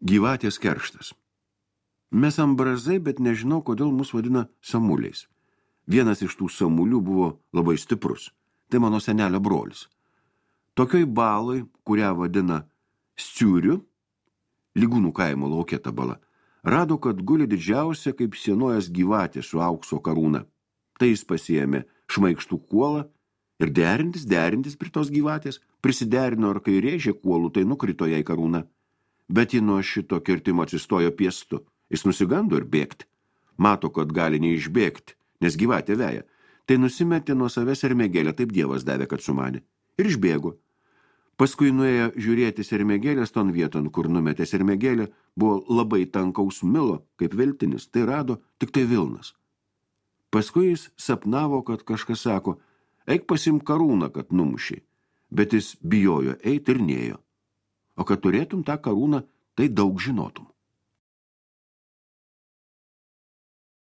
Gyvatės kerštas. Mes ambrazai, bet nežinau, kodėl mus vadina samuliais. Vienas iš tų samulių buvo labai stiprus. Tai mano senelio brolis. Tokioj baloj, kurią vadina Sciuriu, Lygūnų kaimo lauke ta bala, rado, kad guli didžiausia kaip sienojas gyvatė su aukso karūna. Tai jis pasiėmė šmaikštų kuolą ir derintis prie tos gyvatės, prisiderino ar kai rėžė kuolų, tai nukrito jai karūna. Bet ji nuo šito kirtimo atsistojo piestu. Jis nusigando ir bėgti. Mato, kad gali neišbėgti, nes gyvatė veja. Tai nusimetė nuo savęs sermėgėlę, taip Dievas davė, kad sumanė. Ir išbėgo. Paskui nuėjo žiūrėti sermėgėlės ton vieton, kur numetė sermėgėlę, buvo labai tankaus milo, kaip veltinis, tai rado tik tai vilnas. Paskui jis sapnavo, kad kažkas sako, eik pasimk karūną, kad numušiai, bet jis bijojo eit ir nėjo. O kad turėtum tą karūną, tai daug žinotum.